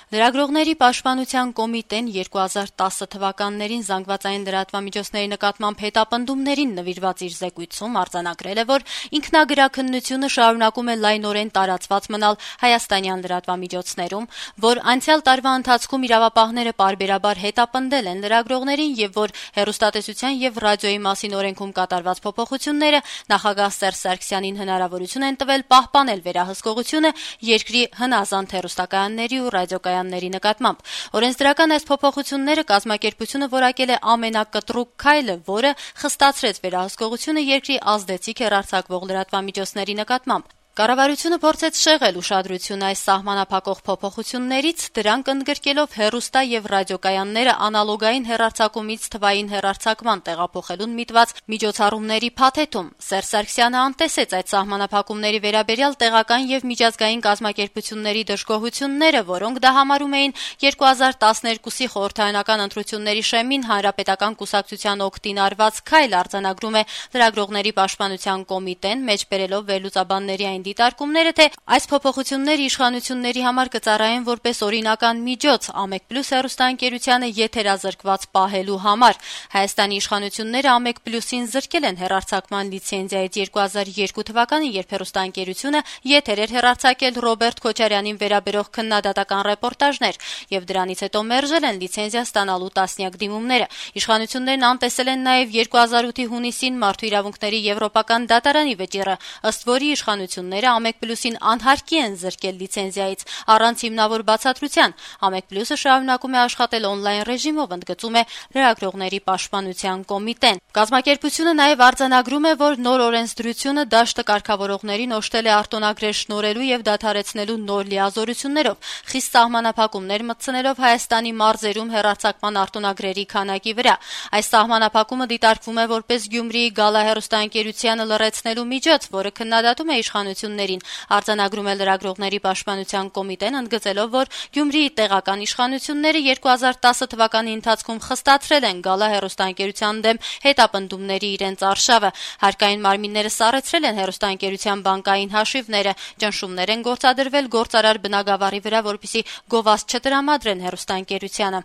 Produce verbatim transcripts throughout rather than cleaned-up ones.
Լրագրողների պաշտպանության կոմիտեն երկու հազար տասը թվականներին զանգվածային լրատվամիջոցների նկատմամբ հետապնդումներին նվիրված իր զեկույցում արձանագրել է, որ ինքնագրաքննությունը շարունակում է լայնորեն տարածված մնալ հայաստանյան լրատվամիջոցներում, որ անցյալ տարվա ընթացքում իրավապահները պարբերաբար հետապնդել են լրագրողներին եւ որ հեռուստատեսության եւ ռադիոյի մասին օրենքում կատարված փոփոխությունները նախագահ Սերժ Սարգսյանին հնարավորություն են տվել պահպանել վերահսկողությունը երկրի հնազանդ հեռուստակայանների ու ռադիոկայանների նկատմամբ։ Օրենսդրական այս փոփոխությունները կազմակերպությունը որակել է ամենակտրուկ քայլը, որը խստացրեց վերահսկողությունը երկրի ազդեցիկ հեռարձակվող լրատվամիջոցների նկատմամբ։ Կառավարությունը փորձեց շեղել ուշադրությունը այս սահմանափակող փոփոխություններից, դրանք ընդգրկելով հեռուստա եւ ռադիոկայանները անալոգային հեռարձակումից թվային հեռարձակման տեղափոխելուն միտված միջոցառումների փաթեթում։ Սերժ Սարգսյանը անտեսեց այդ սահմանափակումների վերաբերյալ տեղական եւ միջազգային կազմակերպությունների դժգոհությունները, որոնք դա համարում էին երկու հազար տասներկուսի խորհրդարանական ընտրությունների շեմին հանրապետական կուսակցության օգտին արված քայլ, արձանագրում է լրագրողների պաշտպանության կոմիտեն, մեջբերելով վերլուծաբանների այն դիտարկումները, թե այս փոփոխությունները իշխանությունների համար կծառայեն որպես օրինական միջոց Ամեկ Պլյուս հեռուստաընկերությանը եթերազրկված պահելու համար։ Հայաստանի իշխանությունները Ամեկ Պլյուսին զրկել են հեռարձակման լիցենզիայից երկու հազար երկու թվականին, երբ հեռուստաընկերությունը եթեր էր հեռարձակել Ռոբերտ Քոչարյանին վերաբերող քննադատական ռեպորտաժներ, եւ դրանից հետո մերժել են լիցենզիա ստանալու տասնյակ դիմումները։ Իշխանություններն անտեսել են նաեւ երկու հազար ութի հունիսին Մարդու իրավունքների եվրոպական դատարանի վճիռը, ըստ որի իշխանությունները Ամեկ Պլյուսին անհարկի են զրկել լիցենզիայից առանց հիմնավոր բացատրության։ Ամեկ Պլյուսը շարունակում է աշխատել օնլայն ռեժիմով, ընդգծում է լրագրողների պաշտպանության կոմիտեն։ Կազմակերպությունը նաև արձանագրում է, որ նոր օրենսդրությունը դաշտը կարգավորողներին օժտել է արտոնագրեր շնորհելու եւ դադարեցնելու նոր լիազորություններով, խիստ սահմանափակումներ մտցնելով Հայաստանի մարզերում հեռարձակման արտոնագրերի քանակի վրա։ Այս սահմանափակումը դիտարկվում է որպես Գյումրիի Գալա հեռուստաընկերությանը լռեցնելու միջոց, որը քննադատում է իշխանություններին։ Արձանագրում է լրագրողների պաշտպանության կոմիտեն, ընդգծելով, որ Գյումրիի տեղական իշխանությունները երկու հազար տասը թվականի ընթացքում խստացրել են Գալա հեռուստաընկերության դեմ հետապնդումների իրենց արշավը։ Հարկային մարմինները սառեցրել են հեռուստաընկերության բանկային հաշիվները, ճնշումներ են գործադրվել գործարար բնագավառի վրա, որպեսզի գովազդ չտրամադրեն հեռուստաընկերությանը։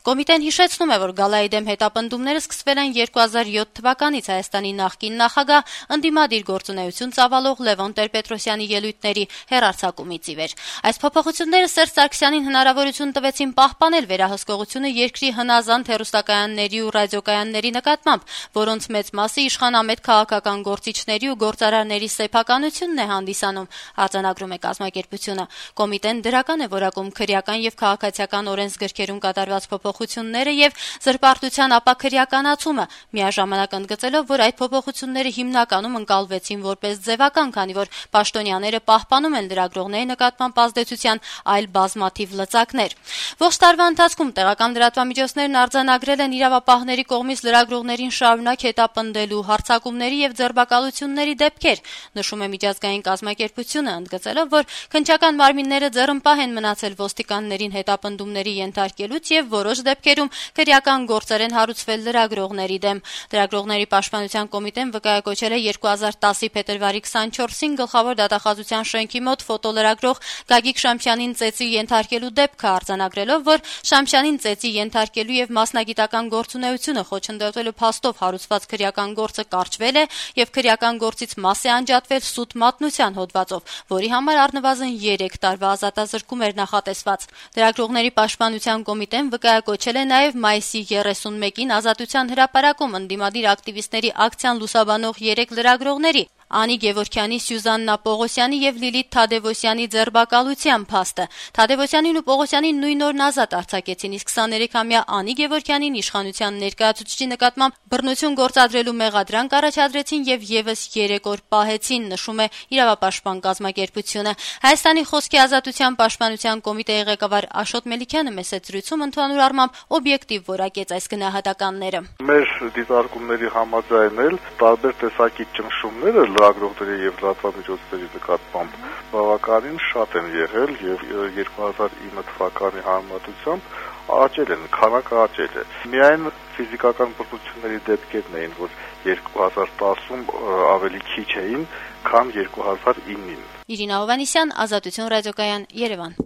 Կոմիտեն հիշեցնում է, որ Գալայի դեմ հետապնդումները սկսվել են երկու հազար յոթ թվականից Հայաստանի նախկին նախագահ ընդդիմադիր գործունեություն ծավալող Լևոն Տեր-Պետրոսյանի ելույթների հեռարձակումից ի վեր։ Այս փոփոխությունները Սերժ Սարգսյանին հնարավորություն տվեցին պահպանել վերահսկողությունը երկրի հնազանդ հեռուստակայանների ու ռադիոկայանների նկատմամբ, որոնց մեծ մասը իշխանամետ քաղաքական գործիչների ու գործարարների սեփականությունն է հանդիսանում, արձանագրում է կազմակերպությունը։ Կոմիտեն դրական է որակում քրեական եւ քաղաքացիական օրենսգրքերում կատարված փոփոխությունները եւ զրպարտության ապաքրեականացումը, միաժամանակ ընդգծելով, որ այդ փոփոխությունները հիմնականում ընկալվեցին որպես ձևական, քանի որ պաշտոնյաները պահպանում են լրագրողների նկատմամբ ազդեցության այլ բազմաթիվ լծակներ։ Ողջ տարվա ընթացքում տեղական լրատվամիջոցներն արձանագրել են իրավապահների կողմից լրագրողներին շարունակ հետապնդելու հարձակումների եւ ձերբակալությունների դեպքեր, նշում է միջազգային կազմակերպությունը, ընդգծելով, որ քննչական մարմինները ձեռնպահ են մնացել ոստիկաններին հետապնդումների ենթարկելուց եւ որոշ դեպքերում քրեական գործեր են հարուցվել լրագրողների դեմ։ Լրագրողների պաշտպանության կոմիտեն վկայակոչել է երկու հազար տասի փետրվարի քսանչորսին գլխավոր դատախազության շենքի մոտ ֆոտոլրագրող Գագիկ Շամփյանին ծեծի ենթարկելու դեպքը, արձանագրելով, որ Շամփյանին ծեծի ենթարկելու եւ մասնագիտական գործունեությունը խոչընդոտելու փաստով հարուցված քրեական գործը կարճվել է եւ քրեական գործից մաս է անջատվել սուտ մատնության հոդվածով, որի համար առնվազն երեք տարվա ազատազրկում էր նախատեսված։ Լրագրողների պաշտպանության կոմիտեն վկայակոչել է նաեւ մայիսի երեսունմեկին Ազատության հրապարակում ընդդիմադիր ակտիվիստների ակցիան լուսաբանող երեք լրագրողների՝ Անի Գևորգյանի, Սյուզաննա Պողոսյանի եւ Լիլիթ Թադևոսյանի ձերբակալության փաստը։ Թադևոսյանին ու Պողոսյանին նույն օրն ազատ արձակեցին, իսկ քսաներեքամյա Անի Գևորգյանին իշխանության ներկայացուցիչի նկատմամբ բռնություն գործադրելու մեղադրանք առաջադրեցին եւ եւս երեք օր պահեցին, նշում է իրավապաշտպան կազմակերպությունը։ Հայաստանի խոսքի ազատության պաշտպանության կոմիտեի ղեկավար Աշոտ Մելիքյանը մեծ զրույցում ընդհանուր առմամբ օբյեկտիվ որակեց այս գնահատականները։ Մեր դիտարկումների համաձայն էլ տարբեր տեսակի ճնշումները լրագրողների եւ լրատվամիջոցների նկատմամբ բավականին շատ են եղել եւ երկու հազար ինը թվականի համեմատությամբ աճել են, քանակը աճել է։ Միայն ֆիզիկական բռնությունների դեպքերն էին, որ երկու հազար տասում ավելի քիչ էին, քան երկու հազար ինին։ Իրինա Հովհաննիսյան, Ազատություն ռադիոկայան, Երևան։